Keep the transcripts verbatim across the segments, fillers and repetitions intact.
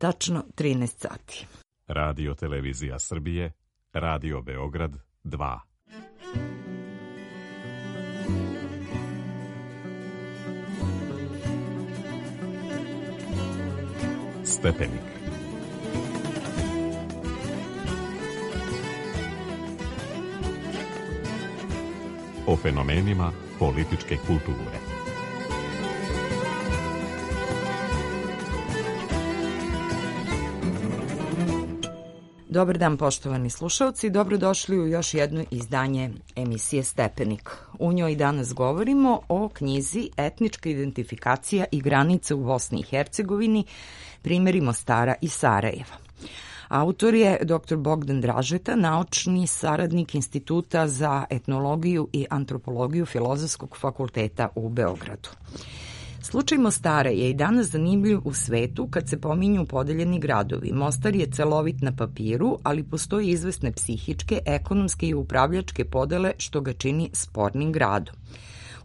tačno trinaest sati. Radio Televizija Srbije, Radio Beograd dva. Stepenik. O fenomenima političke kulture. Dobar dan, poštovani slušalci, dobrodošli u još jedno izdanje emisije Stepenik. U njoj danas govorimo o knjizi Etnička identifikacija i granice u Bosni i Hercegovini, primjeri Mostara i Sarajeva. Autor je doktor Bogdan Dražeta, naučni saradnik Instituta za etnologiju i antropologiju Filozofskog fakulteta u Beogradu. Slučaj Mostara je i danas zanimljiv u svetu kad se pominju podeljeni gradovi. Mostar je celovit na papiru, ali postoji izvesne psihičke, ekonomske i upravljačke podele što ga čini spornim gradom.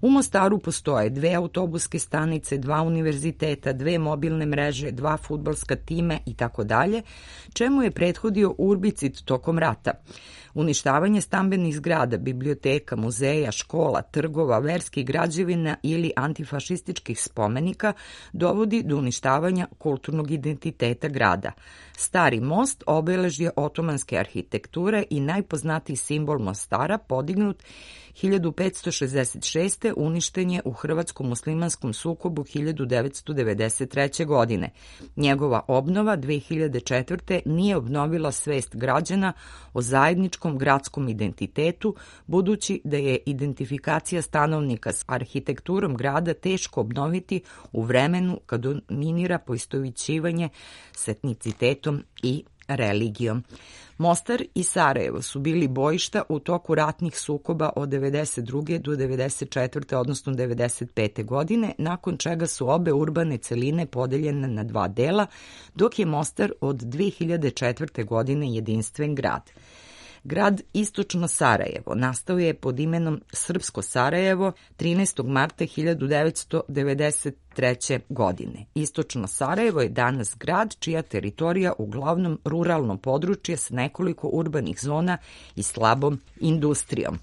U Mostaru postoje dve autobuske stanice, dva univerziteta, dve mobilne mreže, dva fudbalska time i tako dalje, čemu je prethodio urbicid tokom rata. Uništavanje stambenih zgrada, biblioteka, muzeja, škola, trgova, verskih građevina ili antifašističkih spomenika dovodi do uništavanja kulturnog identiteta grada. Stari most obeležje otomanske arhitekture i najpoznatiji simbol Mostara, podignut hiljadu petsto šezdeset šeste. uništen je u hrvatsko-muslimanskom sukobu hiljadu devetsto devedeset treće. godine. Njegova obnova dve hiljade četvrte. nije obnovila svest građana o zajedničkom gradskom identitetu, budući da je identifikacija stanovnika s arhitekturom grada teško obnoviti u vremenu kad dominira poistovećivanje s etnicitetom i religijom. Mostar i Sarajevo su bili bojišta u toku ratnih sukoba od devedeset druge. do devedeset četvrte. odnosno devedeset pete. godine, nakon čega su obe urbane celine podeljene na dva dela, dok je Mostar od dve hiljade četvrte. godine jedinstven grad. Grad Istočno Sarajevo nastao je pod imenom Srpsko Sarajevo trinaestog marta hiljadu devetsto devedeset treće. godine. Istočno Sarajevo je danas grad čija teritorija uglavnom ruralno područje s nekoliko urbanih zona i slabom industrijom.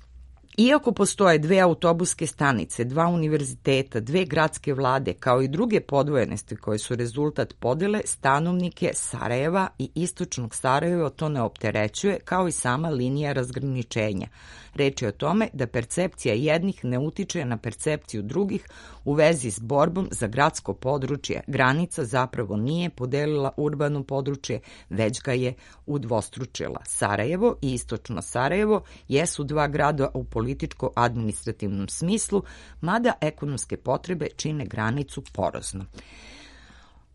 Iako postoje dve autobuske stanice, dva univerziteta, dve gradske vlade, kao i druge podvojenosti koje su rezultat podele, stanovnike Sarajeva i Istočnog Sarajeva to ne opterećuje, kao i sama linija razgraničenja. Reč je o tome da percepcija jednih ne utiče na percepciju drugih u vezi s borbom za gradsko područje. Granica zapravo nije podelila urbano područje, već ga je udvostručila. Sarajevo i Istočno Sarajevo jesu dva grada u političko-administrativnom smislu, mada ekonomske potrebe čine granicu porozno.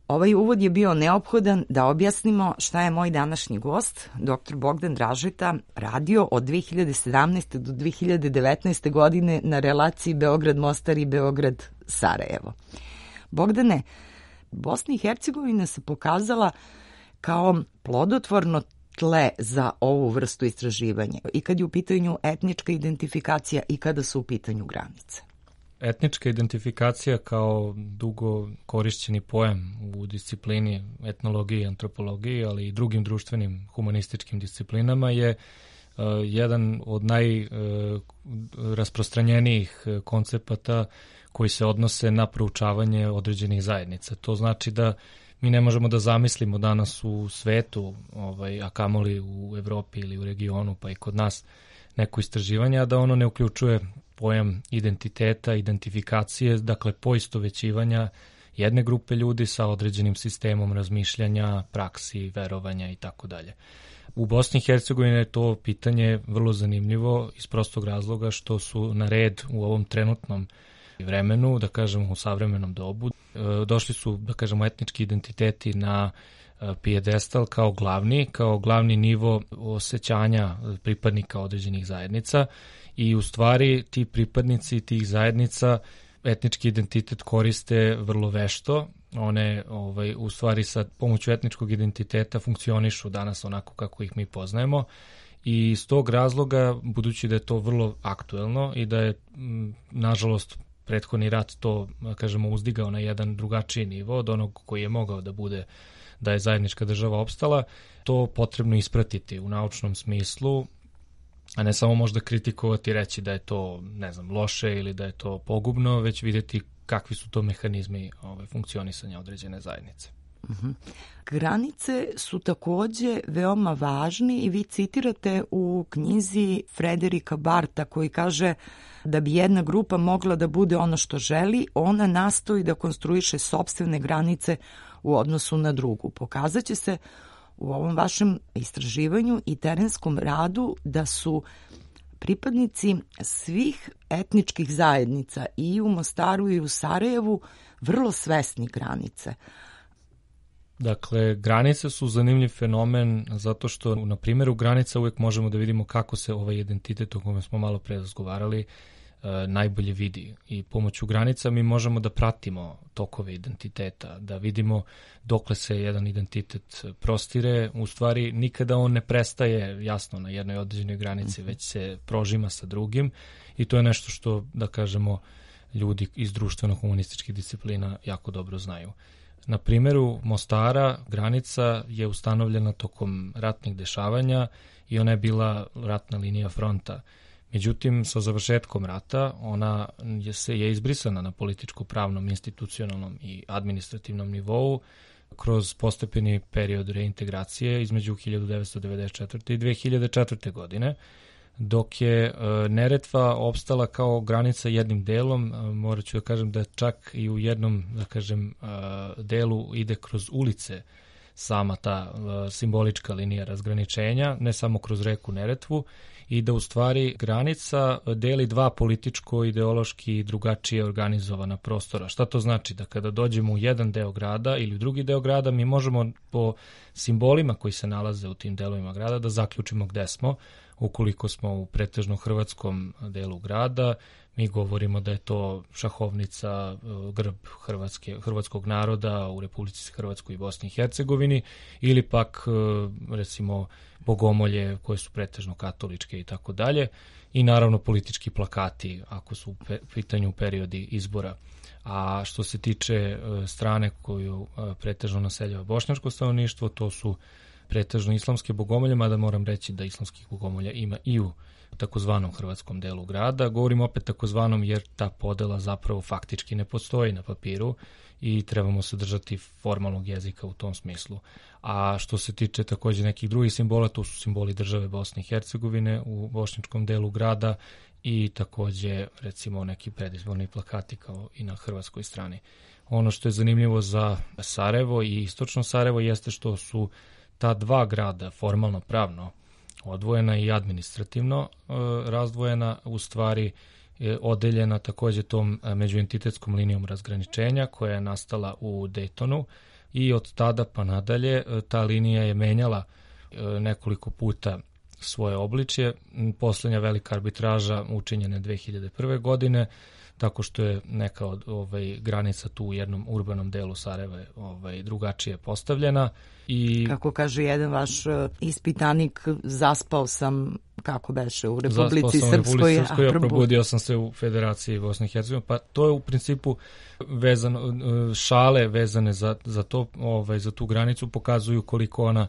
Ovaj uvod je bio neophodan da objasnimo šta je moj današnji gost, doktor Bogdan Dražeta, radio od dve hiljade sedamnaeste. do dve hiljade devetnaeste. godine na relaciji Beograd-Mostar i Beograd-Sarajevo. Bogdane, Bosna i Hercegovina se pokazala kao plodotvorno tle za ovu vrstu istraživanja i kad je u pitanju etnička identifikacija i kada su u pitanju granice. Etnička identifikacija kao dugo korišćeni pojam u disciplini etnologije i antropologije, ali i drugim društvenim humanističkim disciplinama je uh, jedan od najrasprostranjenijih uh, koncepata koji se odnose na proučavanje određenih zajednica. To znači da mi ne možemo da zamislimo danas u svetu, ovaj, a kamoli u Evropi ili u regionu, pa i kod nas, neko istraživanje, a da ono ne uključuje pojam identiteta, identifikacije, dakle poistovećivanja jedne grupe ljudi sa određenim sistemom razmišljanja, praksi, verovanja i tako dalje. U Bosni i Hercegovini je to pitanje vrlo zanimljivo iz prostog razloga što su na red u ovom trenutnom vremenu, da kažemo u savremenom dobu, došli su, da kažemo, etnički identiteti na pijedestal kao glavni, kao glavni nivo osjećanja pripadnika određenih zajednica i u stvari ti pripadnici tih zajednica etnički identitet koriste vrlo vešto. One ovaj, u stvari sa pomoću etničkog identiteta funkcionišu danas onako kako ih mi poznajemo i iz tog razloga, budući da je to vrlo aktuelno i da je m, nažalost prethodni rat to, kažemo, uzdigao na jedan drugačiji nivo od onog koji je mogao da bude da je zajednička država opstala, to potrebno ispratiti u naučnom smislu, a ne samo možda kritikovati i reći da je to, ne znam, loše ili da je to pogubno, već vidjeti kakvi su to mehanizmi ove, funkcionisanja određene zajednice. Uh-huh. Granice su takođe veoma važni i vi citirate u knjizi Frederika Barta koji kaže da bi jedna grupa mogla da bude ono što želi, ona nastoji da konstruiše sopstvene granice u odnosu na drugu. Pokazaće se u ovom vašem istraživanju i terenskom radu da su pripadnici svih etničkih zajednica i u Mostaru i u Sarajevu vrlo svesni granice. Dakle, granice su zanimljiv fenomen zato što na primjeru granica uvijek možemo da vidimo kako se ovaj identitet o kome smo malo pre razgovarali najbolje vidi i pomoću granica mi možemo da pratimo tokove identiteta, da vidimo dokle se jedan identitet prostire, u stvari nikada on ne prestaje jasno na jednoj određenoj granici, već se prožima sa drugim i to je nešto što, da kažemo, ljudi iz društveno-humanističkih disciplina jako dobro znaju. Na primjeru Mostara granica je ustanovljena tokom ratnih dešavanja i ona je bila ratna linija fronta. Međutim, sa završetkom rata ona je, se, je izbrisana na političko-pravnom, institucionalnom i administrativnom nivou kroz postepeni period reintegracije između hiljadu devetsto devedeset četvrte. i dve hiljade četvrte. godine, dok je e, Neretva opstala kao granica jednim delom. E, morat ću da kažem da čak i u jednom, da kažem, e, delu ide kroz ulice sama ta e, simbolička linija razgraničenja, ne samo kroz reku Neretvu, i da u stvari granica deli dva političko, ideološki drugačije organizovana prostora. Šta to znači? Da kada dođemo u jedan deo grada ili u drugi deo grada, mi možemo po simbolima koji se nalaze u tim delovima grada da zaključimo gde smo. Ukoliko smo u pretežno hrvatskom delu grada, mi govorimo da je to šahovnica, grb Hrvatske, hrvatskog naroda u Republici Hrvatskoj i Bosni i Hercegovini, ili pak recimo bogomolje koje su pretežno katoličke i tako dalje, i naravno politički plakati ako su u pitanju periodi izbora. A što se tiče strane koju pretežno naseljava bošnjačko stanovništvo, to su pretežno islamske bogomolje, mada moram reći da islamskih bogomolja ima i u takozvanom hrvatskom delu grada. Govorim opet takozvanom jer ta podela zapravo faktički ne postoji na papiru i trebamo se držati formalnog jezika u tom smislu. A što se tiče takođe nekih drugih simbola, to su simboli države Bosne i Hercegovine u bošnjačkom delu grada i takođe recimo neki predizborni plakati kao i na hrvatskoj strani. Ono što je zanimljivo za Sarajevo i istočno Sarajevo jeste što su ta dva grada formalno pravno odvojena i administrativno e, razdvojena, u stvari je odeljena takođe tom međuentitetskom linijom razgraničenja koja je nastala u Daytonu i od tada pa nadalje e, ta linija je menjala e, nekoliko puta svoje obličje. Poslednja velika arbitraža učinjena je dve hiljade prve. godine, tako što je neka od ovaj, granica tu u jednom urbanom delu Sarajeva ovaj, drugačije postavljena. I kako kaže jedan vaš ispitanik, zaspao sam, kako beše, u Republici Srpskoj. Zaspao sam u Republici Srpskoj, a probudio sam se u Federaciji Bosne i Hercegovine. Pa to je u principu vezano, šale vezane za, za, to, ovaj, za tu granicu pokazuju koliko ona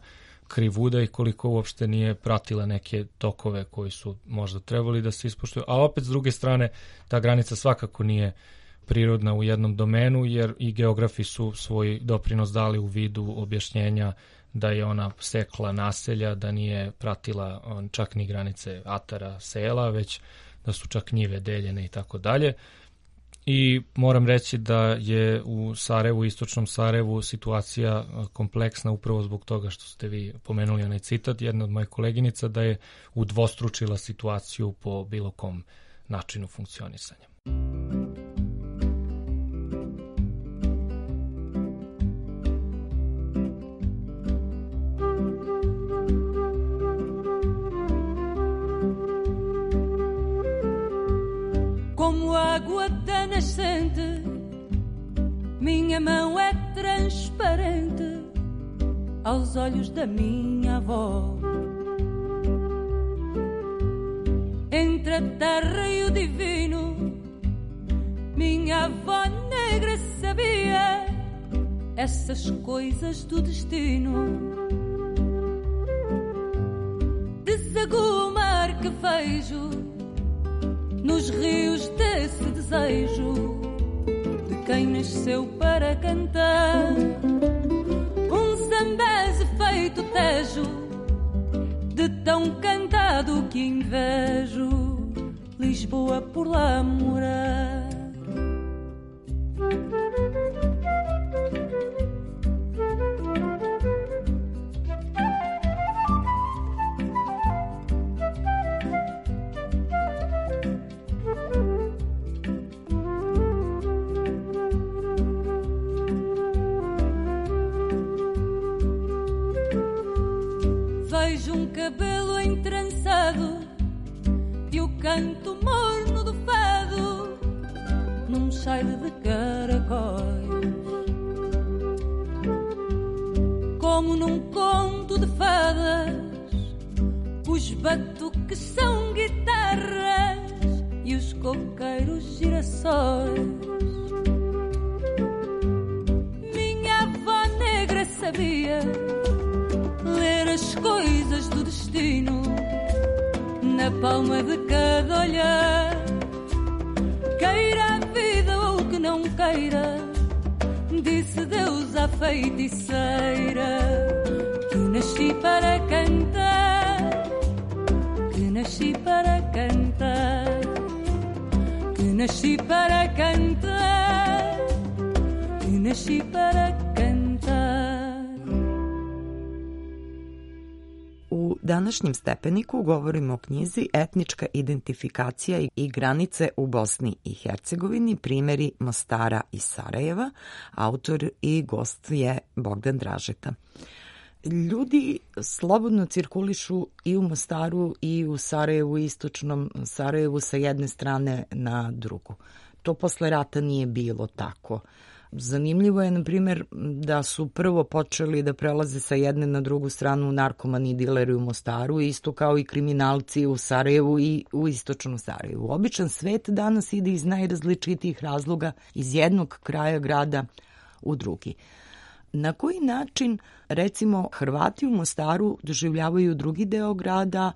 krivuda i koliko uopšte nije pratila neke tokove koji su možda trebali da se ispoštuju. A opet s druge strane, ta granica svakako nije prirodna u jednom domenu, jer i geografi su svoj doprinos dali u vidu objašnjenja da je ona sekla naselja, da nije pratila čak ni granice atara, sela, već da su čak njive deljene i tako dalje. I moram reći da je u Sarajevu, istočnom Sarajevu, situacija kompleksna upravo zbog toga što ste vi pomenuli onaj citat, jedna od mojih koleginica, da je udvostručila situaciju po bilo kom načinu funkcionisanja. Como água da nascente, minha mão é transparente aos olhos da minha avó. Entre a terra e o divino, minha avó negra sabia essas coisas do destino. Desaguo o mar que vejo nos rios desse desejo de quem nasceu para cantar. Um zambeze feito tejo, de tão cantado que invejo Lisboa por lá morar. Vejo um cabelo entrançado e o canto morno do fado num cheiro de caracóis, como num conto de fadas. Os batuques são guitarras e os coqueiros girassóis. Minha avó negra sabia ler as coisas do destino na palma de cada olhar. Queira a vida ou que não queira, disse Deus à feiticeira, que nasci para cantar, que nasci para cantar, que nasci para cantar, que nasci para cantar. U današnjem Stepeniku govorimo o knjizi Etnička identifikacija i granice u Bosni i Hercegovini, primjeri Mostara i Sarajeva. Autor i gost je Bogdan Dražeta. Ljudi slobodno cirkulišu i u Mostaru i u Sarajevu, istočnom Sarajevu, sa jedne strane na drugu. To posle rata nije bilo tako. Zanimljivo je, na primjer, da su prvo počeli da prelaze sa jedne na drugu stranu narkomani i dileri u Mostaru, isto kao i kriminalci u Sarajevu i u istočnom Sarajevu. Običan svet danas ide iz najrazličitijih razloga iz jednog kraja grada u drugi. Na koji način, recimo, Hrvati u Mostaru doživljavaju drugi deo grada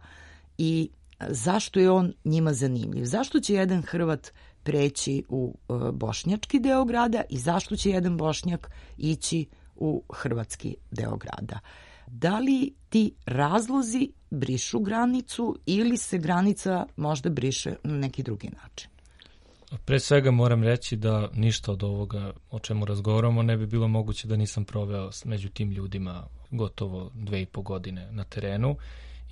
i zašto je on njima zanimljiv? Zašto će jedan Hrvat preći u bošnjački deo grada i zašto će jedan Bošnjak ići u hrvatski deo grada? Da li ti razlozi brišu granicu ili se granica možda briše na neki drugi način? Pre svega moram reći da ništa od ovoga o čemu razgovaramo ne bi bilo moguće da nisam proveo među tim ljudima gotovo dve i po godine na terenu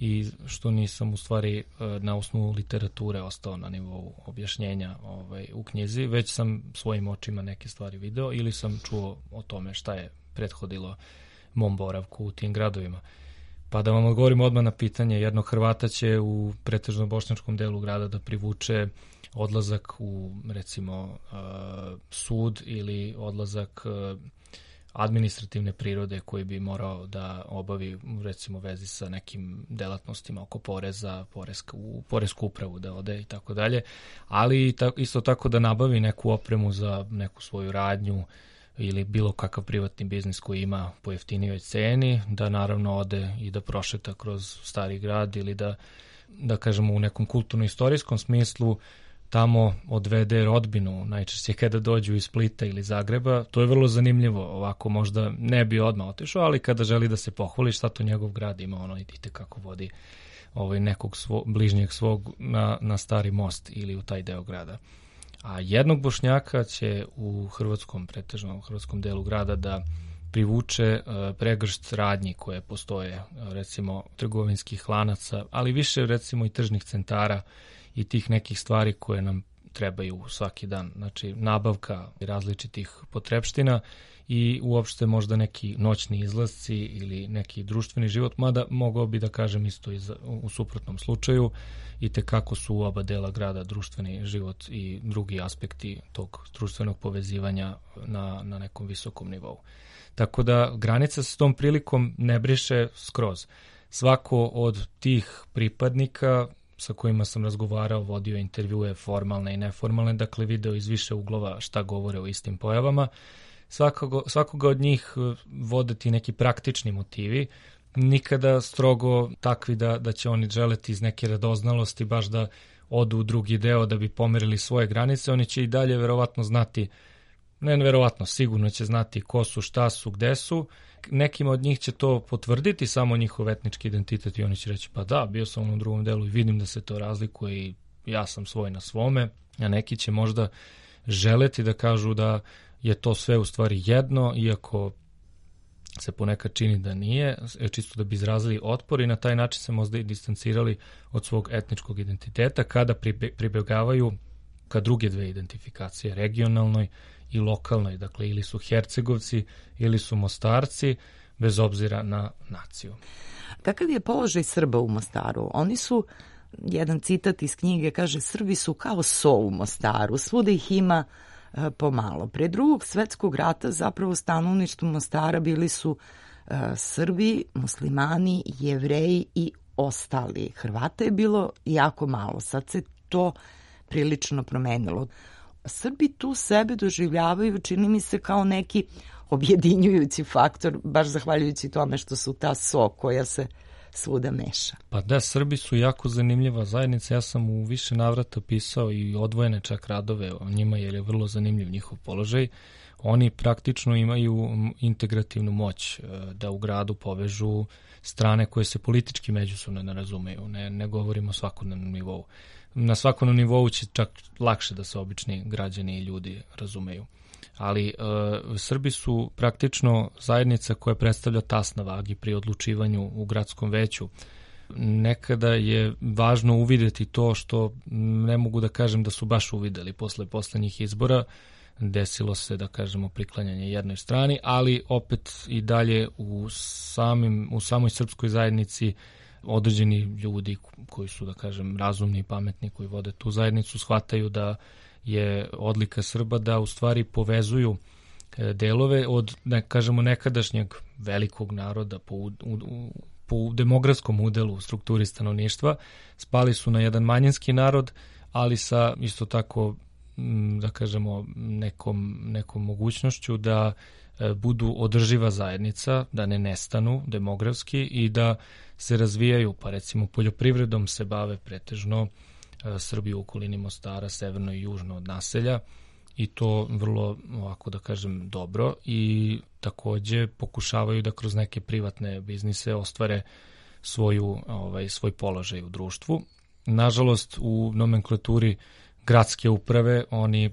i što nisam u stvari na osnovu literature ostao na nivou objašnjenja ovaj, u knjizi, već sam svojim očima neke stvari video ili sam čuo o tome šta je prethodilo mom boravku u tim gradovima. Pa da vam odgovorim odmah na pitanje, jednog Hrvata će u pretežno bošnjačkom delu grada da privuče odlazak u, recimo, sud ili odlazak administrativne prirode koji bi morao da obavi, recimo, vezi sa nekim delatnostima oko poreza, poreska, u poresku upravu da ode i tako dalje, ali isto tako da nabavi neku opremu za neku svoju radnju ili bilo kakav privatni biznis koji ima po jeftinijoj ceni, da naravno ode i da prošeta kroz stari grad ili da, da kažemo, u nekom kulturno-istorijskom smislu tamo odvede rodbinu, najčešće kada dođu iz Splita ili Zagreba. To je vrlo zanimljivo, ovako možda ne bi odmah otišao, ali kada želi da se pohvali šta to njegov grad ima, ono idite kako vodi ovaj nekog svo, bližnjeg svog na, na Stari most ili u taj deo grada. A jednog Bošnjaka će u hrvatskom, pretežno u hrvatskom delu grada da privuče uh, pregršt radnji koje postoje, uh, recimo trgovinskih lanaca, ali više recimo i tržnih centara i tih nekih stvari koje nam trebaju svaki dan. Znači nabavka različitih potrepština i uopšte možda neki noćni izlasci ili neki društveni život, mada mogao bi da kažem isto i za, u suprotnom slučaju, i tekako su u oba dela grada društveni život i drugi aspekti tog društvenog povezivanja na, na nekom visokom nivou. Tako da granica se s tom prilikom ne briše skroz. Svako od tih pripadnika sa kojima sam razgovarao, vodio intervjue formalne i neformalne, dakle video iz više uglova šta govore o istim pojavama, svakoga, svakoga od njih vode ti neki praktični motivi, nikada strogo takvi da, da će oni želeti iz neke radoznalosti baš da odu u drugi deo da bi pomerili svoje granice. Oni će i dalje verovatno znati, ne verovatno, sigurno će znati ko su, šta su, gde su. Nekima od njih će to potvrditi samo njihov etnički identitet i oni će reći pa da, bio sam u drugom delu i vidim da se to razlikuje i ja sam svoj na svome, a neki će možda želeti da kažu da je to sve u stvari jedno, iako se ponekad čini da nije, čisto da bi izrazili otpor i na taj način se možda i distancirali od svog etničkog identiteta kada pribegavaju ka druge dve identifikacije, regionalnoj i lokalnoj, dakle ili su Hercegovci ili su Mostarci, bez obzira na naciju. Kakav je položaj Srba u Mostaru? Oni su, jedan citat iz knjige kaže, Srbi su kao so u Mostaru, svuda ih ima e, pomalo. Pre drugog svetskog rata zapravo stanovništvo Mostara bili su e, Srbi, muslimani, Jevreji i ostali. Hrvata je bilo jako malo, sad se to prilično promenilo. Srbi tu sebe doživljavaju, čini mi se, kao neki objedinjujući faktor, baš zahvaljujući tome što su ta so koja se svuda meša. Pa da, Srbi su jako zanimljiva zajednica. Ja sam u više navrata pisao i odvojene čak radove o njima jer je vrlo zanimljiv njihov položaj. Oni praktično imaju integrativnu moć da u gradu povežu strane koje se politički međusobno ne razumeju. Ne, ne govorimo o svakodnevnom nivou. Na svakom nivou će čak lakše da se obični građani i ljudi razumeju. Ali e, Srbi su praktično zajednica koja predstavlja tas na vagi pri odlučivanju u gradskom veću. Nekada je važno uvideti to što ne mogu da kažem da su baš uvideli posle poslednjih izbora. Desilo se, da kažemo, priklanjanje jednoj strani, ali opet i dalje u, samim, u samoj srpskoj zajednici određeni ljudi koji su, da kažem, razumni i pametni, koji vode tu zajednicu, shvataju da je odlika Srba da u stvari povezuju delove od, ne kažemo, nekadašnjeg velikog naroda po, u, u, po demografskom udelu u strukturi stanovništva. Spali su na jedan manjinski narod, ali sa isto tako, da kažemo, nekom, nekom mogućnošću da budu održiva zajednica, da ne nestanu demografski i da se razvijaju, pa recimo poljoprivredom se bave pretežno Srbi u okolini Mostara, severno i južno od naselja i to vrlo, ovako da kažem, dobro i takođe pokušavaju da kroz neke privatne biznise ostvare svoju, ovaj, svoj položaj u društvu. Nažalost, u nomenklaturi gradske uprave oni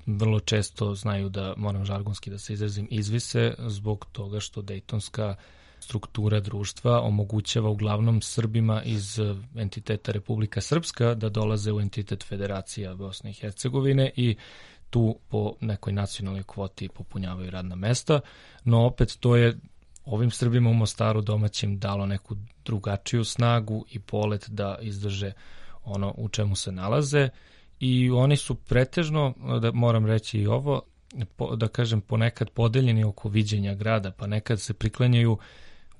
vrlo često znaju da, moram žargonski da se izrazim, izvise zbog toga što dejtonska struktura društva omogućava uglavnom Srbima iz entiteta Republika Srpska da dolaze u entitet Federacija Bosne i Hercegovine i tu po nekoj nacionalnoj kvoti popunjavaju radna mesta, no opet to je ovim Srbima u Mostaru domaćim dalo neku drugačiju snagu i polet da izdrže ono u čemu se nalaze i oni su pretežno, da moram reći i ovo, po, da kažem ponekad podeljeni oko viđenja grada, pa nekad se priklanjaju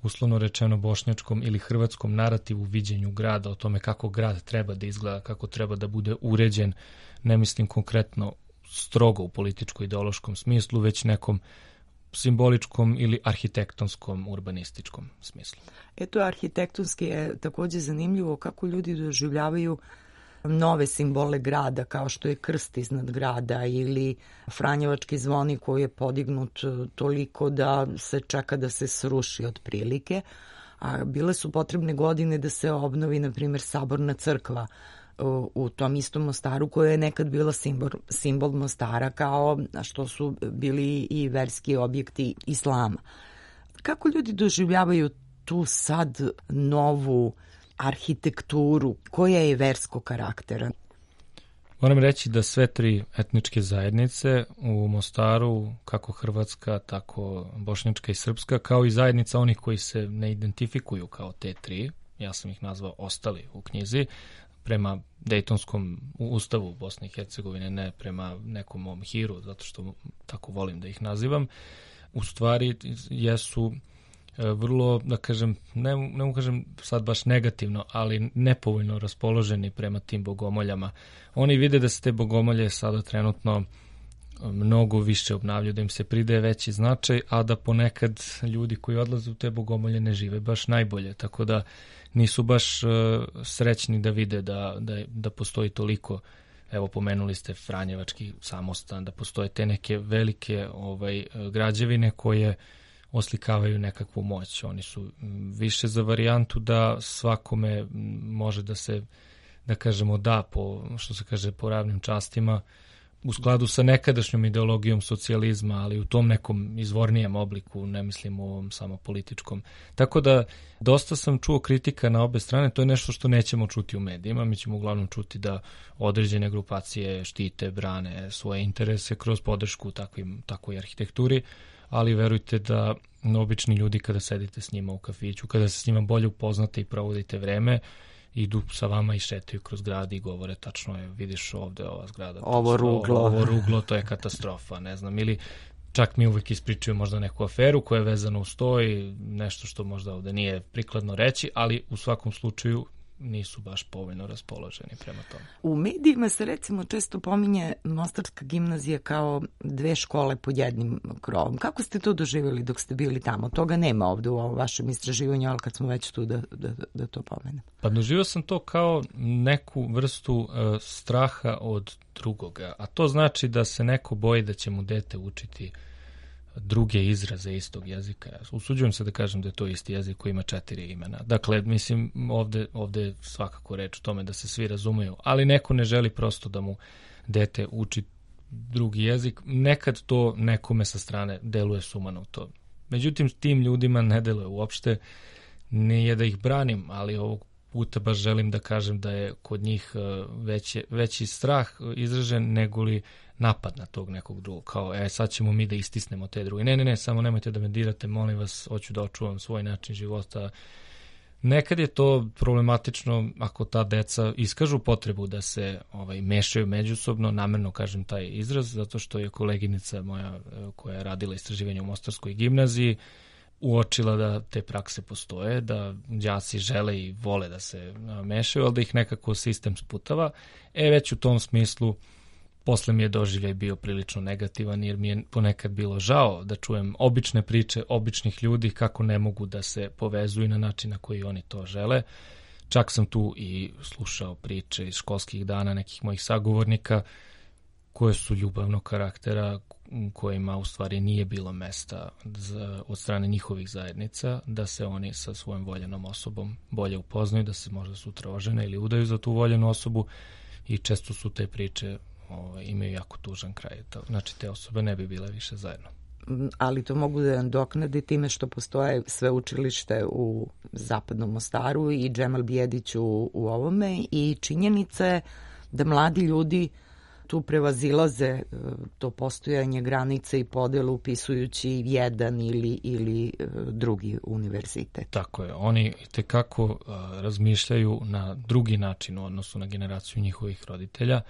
uslovno rečeno bošnjačkom ili hrvatskom narativu viđenju grada, o tome kako grad treba da izgleda, kako treba da bude uređen, ne mislim konkretno strogo u političko-ideološkom smislu, već nekom simboličkom ili arhitektonskom, urbanističkom smislu. Eto, arhitektonski je takođe zanimljivo kako ljudi doživljavaju nove simbole grada, kao što je krst iznad grada ili Franjevački zvonik koji je podignut toliko da se čeka da se sruši otprilike, a bile su potrebne godine da se obnovi, na primjer, Saborna crkva u, u tom istom Mostaru, koja je nekad bila simbol, simbol Mostara, kao što su bili i verski objekti islama. Kako ljudi doživljavaju tu sad novu arhitekturu koja je verskog karaktera? Moram reći da sve tri etničke zajednice u Mostaru, kako hrvatska, tako bošnjačka i srpska, kao i zajednica onih koji se ne identifikuju kao te tri, ja sam ih nazvao ostali u knjizi, prema Dejtonskom ustavu Bosne i Hercegovine, ne prema nekom mom hiru, zato što tako volim da ih nazivam, u stvari jesu vrlo, da kažem, ne, ne mu kažem sad baš negativno, ali nepovoljno raspoloženi prema tim bogomoljama. Oni vide da se te bogomolje sada trenutno mnogo više obnavljaju, da im se pridaje veći značaj, a da ponekad ljudi koji odlaze u te bogomolje ne žive baš najbolje, tako da nisu baš uh, srećni da vide da, da, da postoji toliko, evo pomenuli ste Franjevački samostan, da postoje te neke velike ovaj, građevine koje oslikavaju nekakvu moć. Oni su više za varijantu da svakome može da se, da kažemo, da po, što se kaže, po ravnim častima, u skladu sa nekadašnjom ideologijom socijalizma, ali u tom nekom izvornijem obliku, ne mislim u ovom samo političkom. Tako da dosta sam čuo kritika na obe strane, to je nešto što nećemo čuti u medijima, mi ćemo uglavnom čuti da određene grupacije štite, brane svoje interese kroz podršku takvim, takvoj arhitekturi, ali verujte da obični ljudi kada sedite s njima u kafiću, kada se s njima bolje upoznate i provodite vreme, idu sa vama i šetaju kroz grad i govore tačno je, vidiš ovde ova zgrada. Ovo ruglo. Ovo ruglo, to je katastrofa, ne znam. Ili čak mi uvek ispričaju možda neku aferu koja je vezana uz to i nešto što možda ovde nije prikladno reći, ali u svakom slučaju nisu baš povoljno raspoloženi prema tome. U medijima se recimo često pominje Mostarska gimnazija kao dve škole pod jednim krovom. Kako ste to doživjeli dok ste bili tamo? Toga nema ovde u ovom vašem istraživanju, ali kad smo već tu da, da, da to pomenem. Pa doživio sam to kao neku vrstu uh, straha od drugoga, a to znači da se neko boji da će mu dete učiti druge izraze istog jezika. Usuđujem se da kažem da je to isti jezik koji ima četiri imena. Dakle, mislim, ovde, ovde je svakako reč o tome da se svi razumeju, ali neko ne želi prosto da mu dete uči drugi jezik. Nekad to nekome sa strane deluje sumanuto. Međutim, tim ljudima ne deluje uopšte. Nije da ih branim, ali ovog puta baš želim da kažem da je kod njih veći, veći strah izražen nego li napad na tog nekog drugog, kao e, sad ćemo mi da istisnemo te druge. Ne, ne, ne, samo nemojte da me dirate, molim vas, hoću da očuvam svoj način života. Nekad je to problematično ako ta deca iskažu potrebu da se ovaj, mešaju međusobno, namerno kažem taj izraz, zato što je koleginica moja koja je radila istraživanje u Mostarskoj gimnaziji uočila da te prakse postoje, da đaci žele i vole da se mešaju, ali da ih nekako sistem sputava. E, već u tom smislu posle mi je doživljaj bio prilično negativan, jer mi je ponekad bilo žao da čujem obične priče običnih ljudi kako ne mogu da se povezuju na način na koji oni to žele. Čak sam tu i slušao priče iz školskih dana nekih mojih sagovornika koje su ljubavnog karaktera, kojima u stvari nije bilo mesta za, od strane njihovih zajednica, da se oni sa svojom voljenom osobom bolje upoznaju, da se možda sutra ožene ili udaju za tu voljenu osobu, i često su te priče ovaj, imaju jako tužan kraj. Znači, te osobe ne bi bile više zajedno. Ali to mogu da doknade time što postoje sveučilište u Zapadnom Mostaru i Džemal Bijedić u, u ovome, i činjenica je da mladi ljudi tu prevazilaze to postojanje granice i podelu upisujući jedan ili, ili drugi univerzitet. Tako je. Oni itekako uh, razmišljaju na drugi način u odnosu na generaciju njihovih roditelja.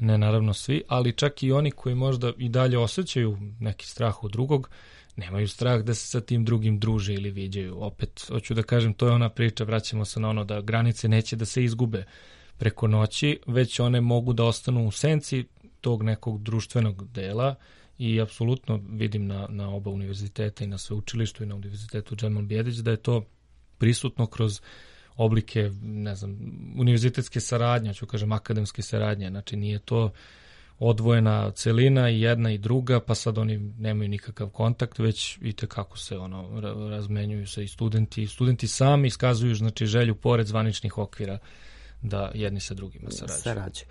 Ne naravno svi, ali čak i oni koji možda i dalje osjećaju neki strah od drugog, nemaju strah da se sa tim drugim druže ili viđaju. Opet, hoću da kažem, to je ona priča, vraćamo se na ono da granice neće da se izgube preko noći, već one mogu da ostanu u senci tog nekog društvenog dela, i apsolutno vidim na, na oba univerziteta, i na sveučilištu i na univerzitetu Džemal Bijedić, da je to prisutno kroz oblike, ne znam, univerzitetske saradnje, ću kažem akademske saradnje, znači nije to odvojena celina i jedna i druga, pa sad oni nemaju nikakav kontakt, već i tekako se ono razmenjuju se i studenti, studenti sami iskazuju, znači, želju pored zvaničnih okvira da jedni sa drugima sarađuju. Sarađuju.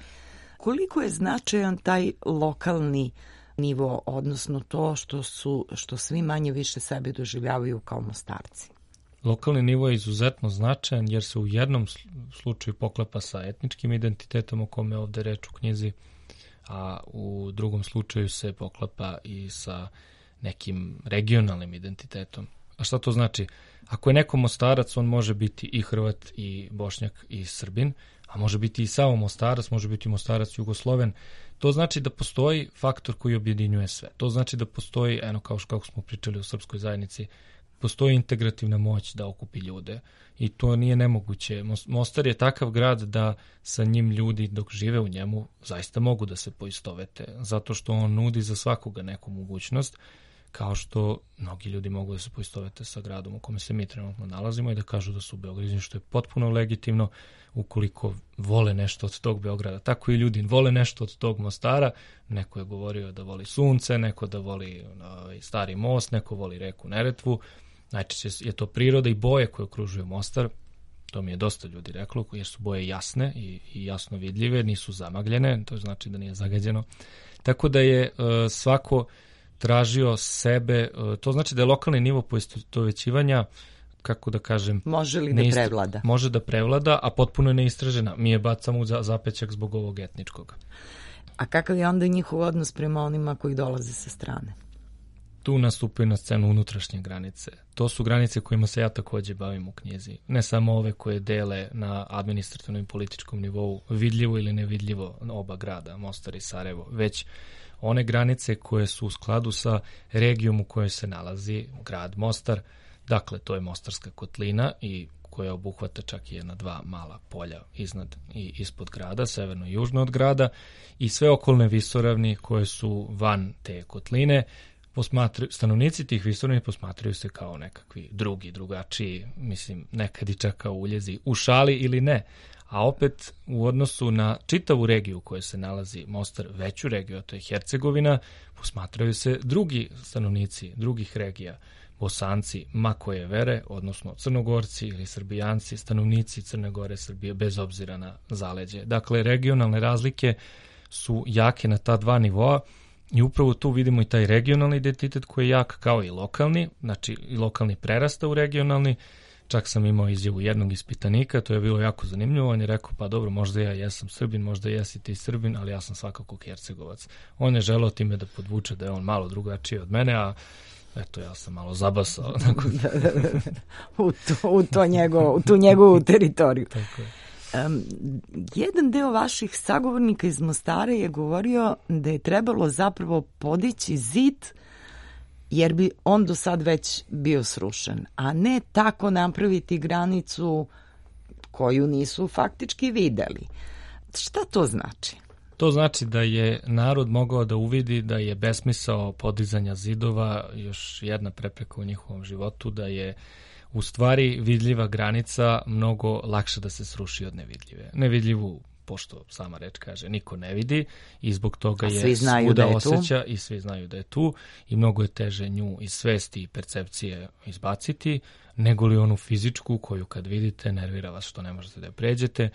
Koliko je značajan taj lokalni nivo, odnosno to što su, što svi manje više sebe doživljavaju kao Mostarci? Lokalni nivo je izuzetno značajan jer se u jednom slučaju poklapa sa etničkim identitetom o kome ovde reč u knjizi, a u drugom slučaju se poklapa i sa nekim regionalnim identitetom. A šta to znači? Ako je neko Mostarac, on može biti i Hrvat, i Bošnjak, i Srbin, a može biti i samo Mostarac, može biti Mostarac Jugosloven. To znači da postoji faktor koji objedinjuje sve. To znači da postoji, eno kao kako smo pričali u srpskoj zajednici, postoji integrativna moć da okupi ljude i to nije nemoguće. Mostar je takav grad da sa njim ljudi dok žive u njemu zaista mogu da se poistovete, zato što on nudi za svakoga neku mogućnost, kao što mnogi ljudi mogu da se poistovete sa gradom u kome se mi trenutno nalazimo i da kažu da su Beograđani, što je potpuno legitimno ukoliko vole nešto od tog Beograda. Tako i ljudi vole nešto od tog Mostara. Neko je govorio da voli sunce, neko da voli uh, stari most, neko voli reku Neretvu. Najčešće je to priroda i boje koje okružuju Mostar. To mi je dosta ljudi reklo, jer su boje jasne i, i jasno vidljive, nisu zamagljene, to znači da nije zagađeno. Tako da je uh, svako tražio sebe, uh, to znači da je lokalni nivo poistovećivanja, kako da kažem... Može li da neistra... prevlada? Može da prevlada, a potpuno je neistražena. Mi je bacamo u zapećak zbog ovog etničkog. A kakav je onda njihov odnos prema onima koji dolaze sa strane? Tu nastupaju na scenu unutrašnje granice. To su granice kojima se ja takođe bavim u knjizi. Ne samo ove koje dele na administrativnom i političkom nivou vidljivo ili nevidljivo oba grada, Mostar i Sarajevo, već one granice koje su u skladu sa regijom u kojoj se nalazi grad Mostar. Dakle, to je Mostarska kotlina i koja obuhvata čak i jedna dva mala polja iznad i ispod grada, severno i južno od grada, i sve okolne visoravni koje su van te kotline. Posmatruju, stanovnici tih visoravni posmatraju se kao nekakvi drugi, drugačiji, mislim, nekad i čak kao uljezi, u šali ili ne. A opet u odnosu na čitavu regiju u kojoj se nalazi Mostar, veću regiju, a to je Hercegovina, posmatraju se drugi stanovnici drugih regija, Bosanci, ma koje vere, odnosno Crnogorci ili Srbijanci, stanovnici Crne Gore, Srbije, bez obzira na zaleđe. Dakle, regionalne razlike su jake na ta dva nivoa i upravo tu vidimo i taj regionalni identitet koji je jak kao i lokalni, znači i lokalni prerasta u regionalni. Čak sam imao izjavu jednog ispitanika, to je bilo jako zanimljivo, on je rekao, pa dobro, možda ja jesam Srbin, možda jesi ti Srbin, ali ja sam svakako Hercegovac. On je želeo time da podvuče da je on malo drugačiji od mene, a eto, ja sam malo zabasao. u, to, u, to njego, u tu njegovu teritoriju. Tako je. Um, jedan deo vaših sagovornika iz Mostara je govorio da je trebalo zapravo podići zid jer bi on do sad već bio srušen, a ne tako napraviti granicu koju nisu faktički videli. Šta to znači? To znači da je narod mogao da uvidi da je besmisao podizanja zidova još jedna prepreka u njihovom životu, da je u stvari vidljiva granica mnogo lakše da se sruši od nevidljive. Nevidljivu, pošto sama reč kaže, niko ne vidi i zbog toga je svuda je osjeća tu. I svi znaju da je tu i mnogo je teže nju iz svesti i percepcije izbaciti, nego li onu fizičku koju kad vidite nervira vas što ne možete da je pređete.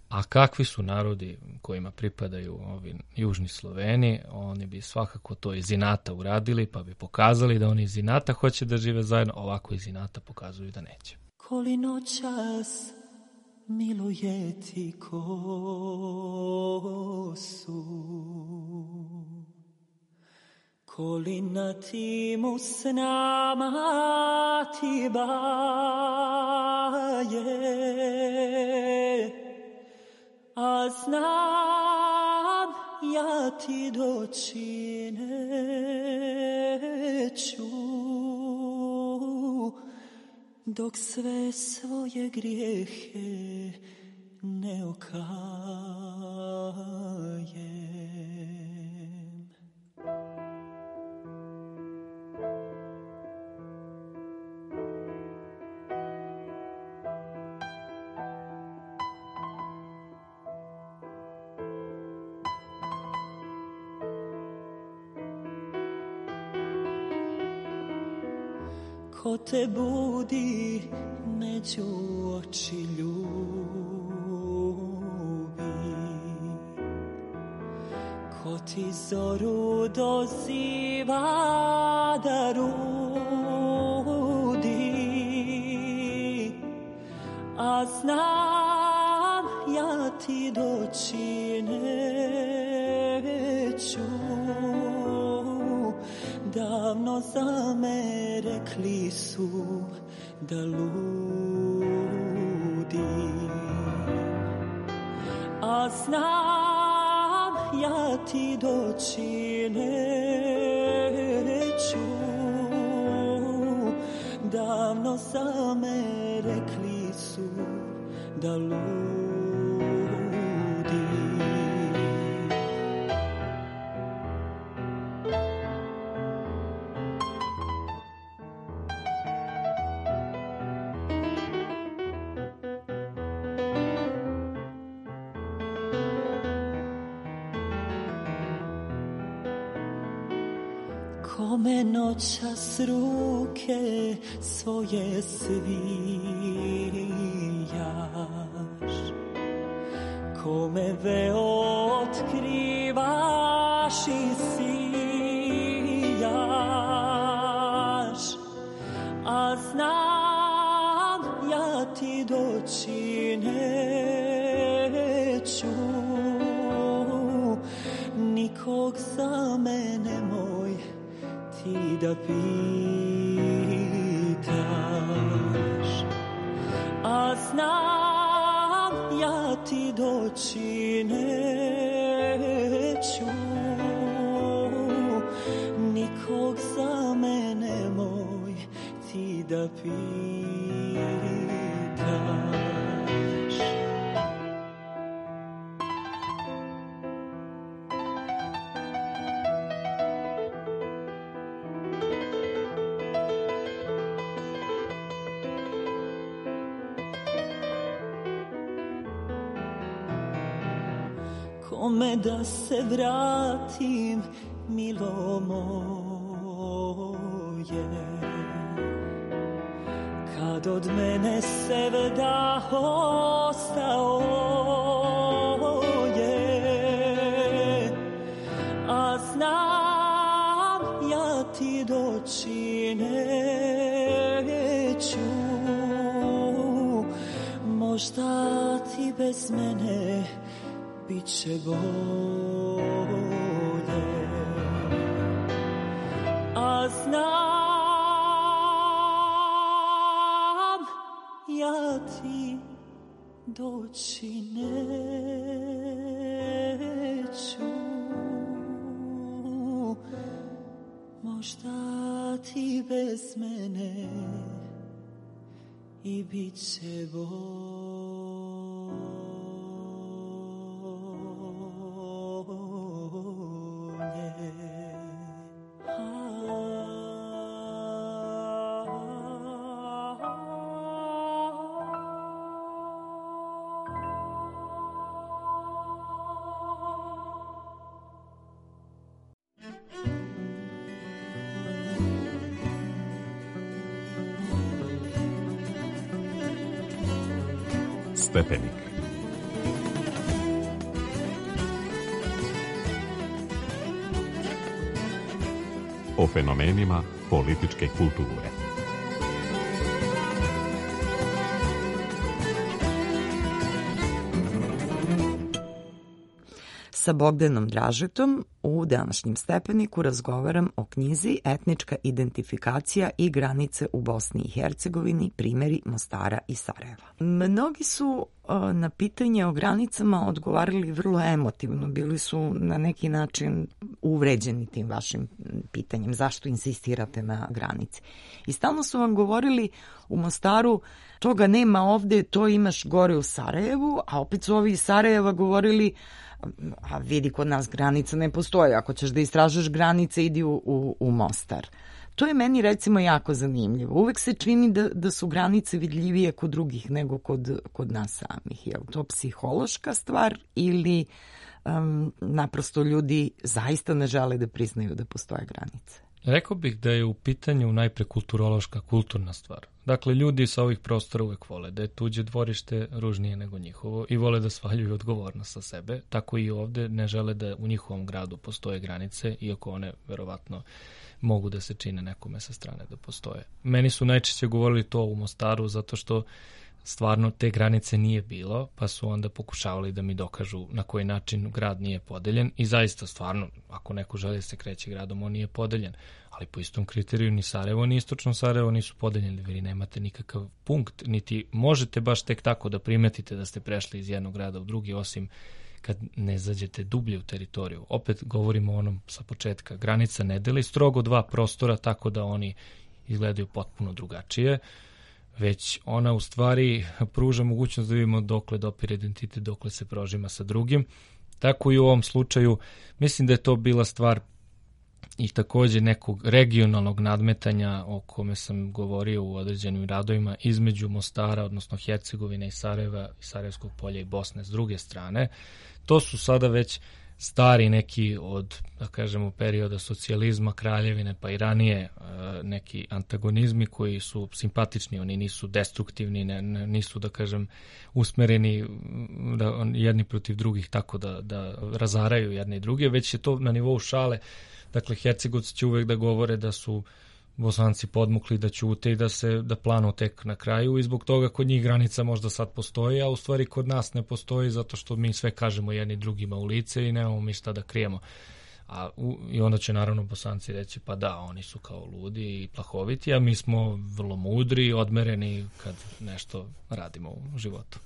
A kakvi su narodi kojima pripadaju ovi južni Sloveni, oni bi svakako to iz inata uradili, pa bi pokazali da oni iz inata hoće da žive zajedno, ovako iz inata pokazuju da neće. Koli noćas miluje ti kosu, koli na timu s nama ti baje, a znam ja ti doći neću, dok sve svoje grijehe ne okajem. Ko te budi među oči ljubi, ko ti zoru doziva da rudi, a znam ja ti doći neću, davno za me rekli su da ludi, a znam ja ti doći neću, davno za me rekli su da ludi. Kome noćas ruke svoje svijaš, kome veo otkrivaš i sijaš, a znam ja ti doći neću, nikog za mene moj ti da pitaš, a znam ja ti doći neću, nikog za mene moj ti da pitaš. Kome da se vratim, milo moje, kad od mene sevda ostao je, a znam ja ti doći neću, možda ti bez mene biće bolje, a znam ja ti doći neću, možda ti bez mene i biće bolje. Stepenik. O fenomenima političke kulture. Sa Bogdanom Dražetom u današnjem Stepeniku razgovaram o knjizi Etnička identifikacija i granice u Bosni i Hercegovini, primjeri Mostara i Sarajeva. Mnogi su na pitanje o granicama odgovarali vrlo emotivno, bili su na neki način uvređeni tim vašim pitanjem, zašto insistirate na granici. I stalno su vam govorili u Mostaru, toga nema ovde, to imaš gore u Sarajevu, a opet su ovi iz Sarajeva govorili, a vidi, kod nas granica ne postoji, ako ćeš da istražuješ granice, idi u, u, u Mostar. To je meni recimo jako zanimljivo. Uvek se čini da, da su granice vidljivije kod drugih nego kod, kod nas samih. Je li to psihološka stvar ili um, naprosto ljudi zaista ne žele da priznaju da postoje granice? Rekao bih da je u pitanju najpre kulturološka, kulturna stvar. Dakle, ljudi sa ovih prostora uvek vole da je tuđe dvorište ružnije nego njihovo i vole da svaljuju odgovornost sa sebe. Tako i ovde ne žele da u njihovom gradu postoje granice, iako one verovatno mogu da se čine nekome sa strane da postoje. Meni su najčešće govorili to u Mostaru zato što stvarno te granice nije bilo, pa su onda pokušavali da mi dokažu na koji način grad nije podeljen i zaista stvarno, ako neko želi da se kreće gradom, on nije podeljen. Ali po istom kriteriju ni Sarajevo ni Istočno Sarajevo nisu podeljeni, vi nemate nikakav punkt, niti možete baš tek tako da primetite da ste prešli iz jednog grada u drugi, osim kad ne zađete dublje u teritoriju. Opet govorimo o onom sa početka, granica ne deli strogo dva prostora tako da oni izgledaju potpuno drugačije, već ona u stvari pruža mogućnost da vidimo dokle dopire identitet, dokle se prožima sa drugim. Tako i u ovom slučaju mislim da je to bila stvar i takođe nekog regionalnog nadmetanja o kome sam govorio u određenim radovima između Mostara, odnosno Hercegovine i Sarajeva i Sarajevskog polja i Bosne s druge strane. To su sada već stari neki od, da kažemo, perioda socijalizma, kraljevine, pa i ranije neki antagonizmi koji su simpatični, oni nisu destruktivni, ne, nisu, da kažem, usmereni da, jedni protiv drugih tako da, da razaraju jedne i druge, već je to na nivou šale. Dakle, Hercegovci će uvek da govore da su Bosanci podmukli, da ćute i da se da planu tek na kraju i zbog toga kod njih granica možda sad postoji, a u stvari kod nas ne postoji zato što mi sve kažemo jedni drugima u lice i nemamo mi šta da krijemo. A, u, I onda će naravno Bosanci reći pa da, oni su kao ludi i plahoviti, a mi smo vrlo mudri i odmereni kad nešto radimo u životu.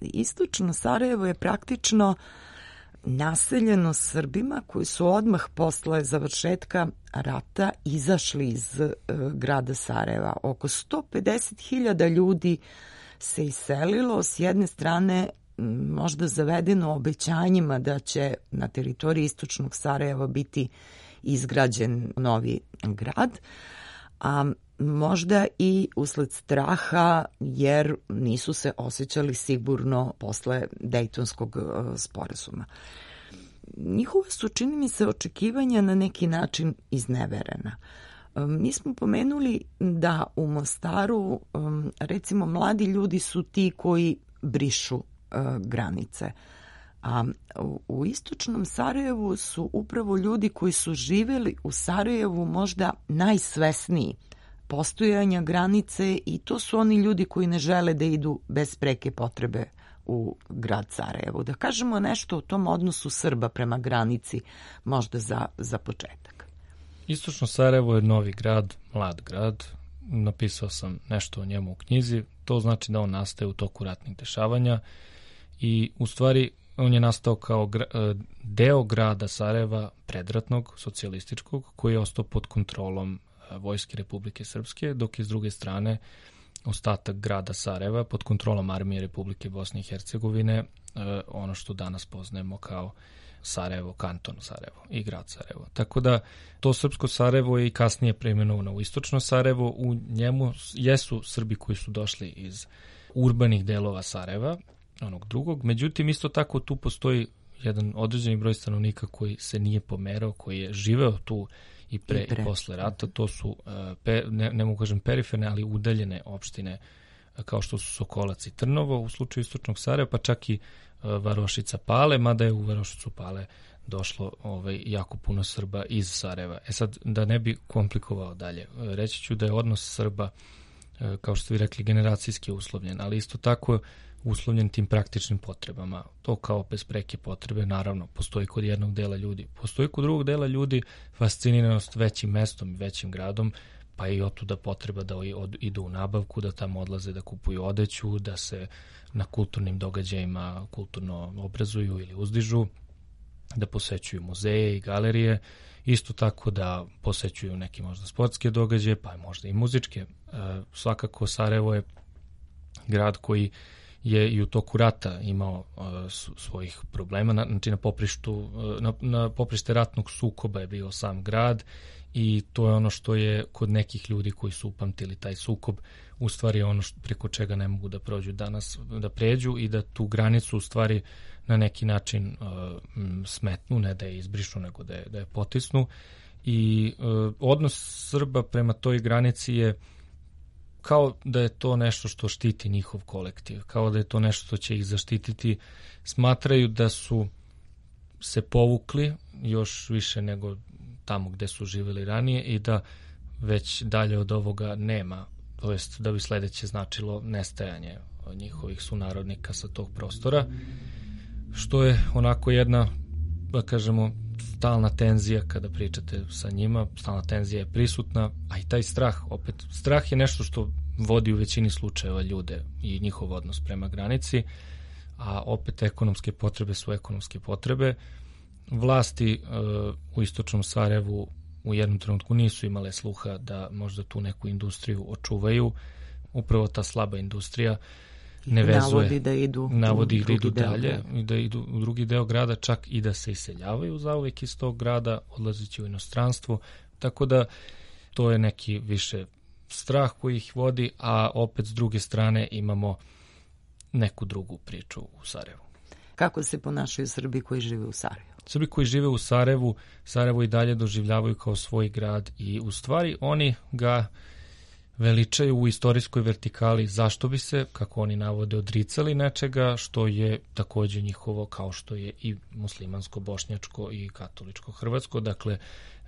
Istočno Sarajevo je praktično naseljeno Srbima koji su odmah posle završetka rata izašli iz uh, grada Sarajeva. Oko sto pedeset hiljada ljudi se iselilo, s jedne strane možda zavedeno obećanjima da će na teritoriji istočnog Sarajeva biti izgrađen novi grad, a možda i usled straha jer nisu se osjećali sigurno posle Dejtonskog uh, sporazuma. Njihova su, čini mi se, očekivanja na neki način izneverena. Um, mi smo pomenuli da u Mostaru, um, recimo, mladi ljudi su ti koji brišu uh, granice. A u, u istočnom Sarajevu su upravo ljudi koji su živeli u Sarajevu možda najsvesniji postojanja granice i to su oni ljudi koji ne žele da idu bez preke potrebe u grad Sarajevo. Da kažemo nešto o tom odnosu Srba prema granici, možda za, za početak. Istočno Sarajevo je novi grad, mlad grad. Napisao sam nešto o njemu u knjizi. To znači da on nastaje u toku ratnih dešavanja i u stvari on je nastao kao deo grada Sarajeva predratnog, socijalističkog, koji je ostao pod kontrolom Vojske Republike Srpske, dok je s druge strane ostatak grada Sarajeva pod kontrolom Armije Republike Bosne i Hercegovine, ono što danas poznajemo kao Sarajevo, kanton Sarajevo i grad Sarajevo. Tako da to srpsko Sarajevo je i kasnije preimenovano u istočno Sarajevo. U njemu jesu Srbi koji su došli iz urbanih delova Sarajeva, onog drugog. Međutim, isto tako tu postoji jedan određeni broj stanovnika koji se nije pomerao, koji je živeo tu i pre i, pre. i posle rata. To su, pe, ne, ne mogu kažem periferne, ali udaljene opštine kao što su Sokolac i Trnovo u slučaju istočnog Sarajeva, pa čak i Varošica Pale, mada je u Varošicu Pale došlo ovaj, jako puno Srba iz Sarajeva. E sad, da ne bi komplikovao dalje, reći ću da je odnos Srba, kao što ste vi rekli, generacijski uslovljen, ali isto tako uslovljen tim praktičnim potrebama. To kao bez preke potrebe, naravno, postoji kod jednog dela ljudi. Postoji kod drugog dela ljudi fasciniranost većim mestom i većim gradom, pa i otuda potreba da od, idu u nabavku, da tamo odlaze da kupuju odeću, da se na kulturnim događajima kulturno obrazuju ili uzdižu, da posećuju muzeje i galerije, isto tako da posećuju neki možda sportske događaje, pa možda i muzičke. E, svakako Sarajevo je grad koji je i u toku rata imao uh, svojih problema, na, znači na poprištu, uh, na, na poprište ratnog sukoba je bio sam grad i to je ono što je kod nekih ljudi koji su upamtili taj sukob, u stvari ono što, preko čega ne mogu da prođu danas, da pređu i da tu granicu u stvari na neki način uh, smetnu, ne da je izbrišu, nego da je, da je potisnu i uh, odnos Srba prema toj granici je kao da je to nešto što štiti njihov kolektiv, kao da je to nešto što će ih zaštititi. Smatraju da su se povukli još više nego tamo gde su živjeli ranije i da već dalje od ovoga nema, to jest da bi sledeće značilo nestajanje njihovih sunarodnika sa tog prostora, što je onako jedna, da kažemo, stalna tenzija kada pričate sa njima, stalna tenzija je prisutna, a i taj strah, opet, strah je nešto što vodi u većini slučajeva ljude i njihov odnos prema granici, a opet ekonomske potrebe su ekonomske potrebe. Vlasti uh, u istočnom Sarajevu u jednom trenutku nisu imale sluha da možda tu neku industriju očuvaju. Upravo ta slaba industrija ne vezuje, navodi da idu, navodi u da idu deo dalje grada. i da idu u drugi deo grada, čak i da se iseljavaju zauvek iz tog grada, odlazeći u inostranstvo, tako da to je neki više strah koji ih vodi, a opet s druge strane imamo neku drugu priču u Sarajevu. Kako se ponašaju Srbi koji žive u Sarajevu? Srbi koji žive u Sarajevu, Sarajevo i dalje doživljavaju kao svoj grad i u stvari oni ga veličaju u istorijskoj vertikali. Zašto bi se, kako oni navode, odricali nečega što je takođe njihovo, kao što je i muslimansko, bošnjačko i katoličko hrvatsko. Dakle,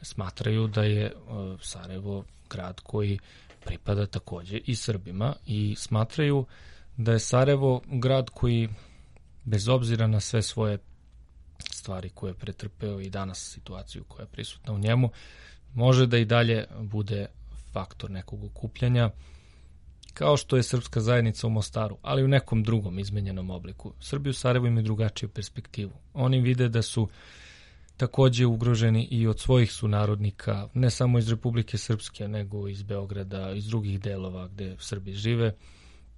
smatraju da je uh, Sarajevo grad koji pripada takođe i Srbima i smatraju da je Sarajevo grad koji, bez obzira na sve svoje stvari koje je pretrpeo i danas situaciju koja je prisutna u njemu, može da i dalje bude faktor nekog okupljanja, kao što je srpska zajednica u Mostaru, ali u nekom drugom izmenjenom obliku. Srbi u Sarajevu imaju drugačiju perspektivu. Oni vide da su takođe ugroženi i od svojih sunarodnika, ne samo iz Republike Srpske, nego iz Beograda, iz drugih delova gde Srbi žive,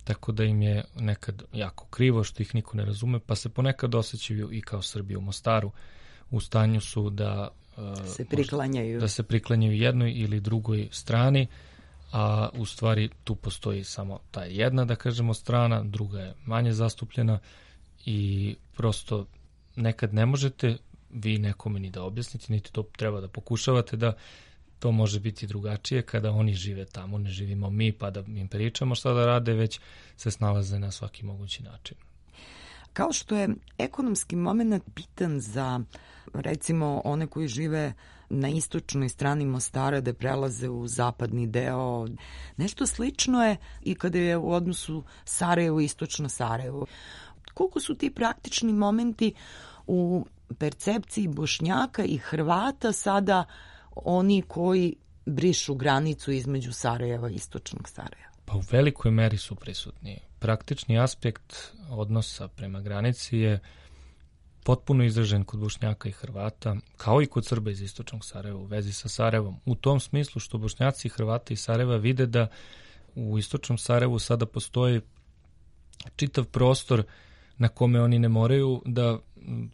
tako da im je nekad jako krivo što ih niko ne razume, pa se ponekad osjećaju i kao Srbi u Mostaru. U stanju su da se priklanjaju. da se priklanjaju jednoj ili drugoj strani, a u stvari tu postoji samo ta jedna, da kažemo, strana, druga je manje zastupljena i prosto nekad ne možete vi nekome ni da objasnite, niti to treba da pokušavate da to može biti drugačije kada oni žive tamo, ne živimo mi pa da im pričamo šta da rade, već se snalaze na svaki mogući način. Kao što je ekonomski moment bitan za, recimo, one koji žive na istočnoj strani Mostara da prelaze u zapadni deo, nešto slično je i kada je u odnosu Sarajevo i istočno Sarajevo. Koliko su ti praktični momenti u percepciji Bošnjaka i Hrvata sada oni koji brišu granicu između Sarajeva i istočnog Sarajeva? Pa u velikoj meri su prisutni. Praktični aspekt odnosa prema granici je potpuno izražen kod Bošnjaka i Hrvata, kao i kod Srba iz istočnog Sarajeva u vezi sa Sarajevom. U tom smislu što Bošnjaci i Hrvati iz Sarajeva vide da u istočnom Sarajevu sada postoji čitav prostor na kome oni ne moraju da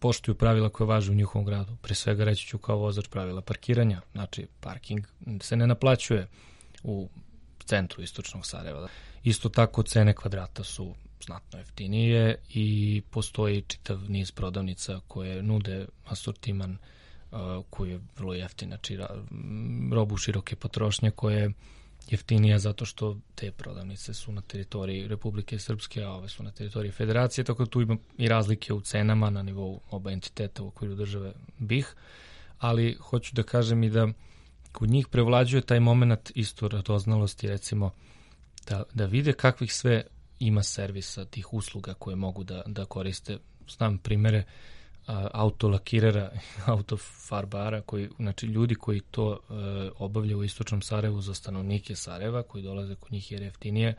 poštuju pravila koje važe u njihovom gradu. Pre svega reći ću kao vozač pravila parkiranja. Znači, parking se ne naplaćuje u centru istočnog Sarajeva. Isto tako cene kvadrata su znatno jeftinije i postoji čitav niz prodavnica koje nude asortiman uh, koji je vrlo jeftin, znači robu široke potrošnje koje je jeftinija zato što te prodavnice su na teritoriji Republike Srpske, a ove su na teritoriji Federacije, tako da tu ima i razlike u cenama na nivou oba entiteta u okviru države B i H, ali hoću da kažem i da kod njih prevlađuje taj moment isto radoznalosti, recimo da, da vide kakvih sve ima servisa tih usluga koje mogu da, da koriste. Znam primere autolakirera, autofarbara, koji, znači ljudi koji to e, obavljaju u istočnom Sarajevu za stanovnike Sarajeva, koji dolaze kod njih jer jeftinije,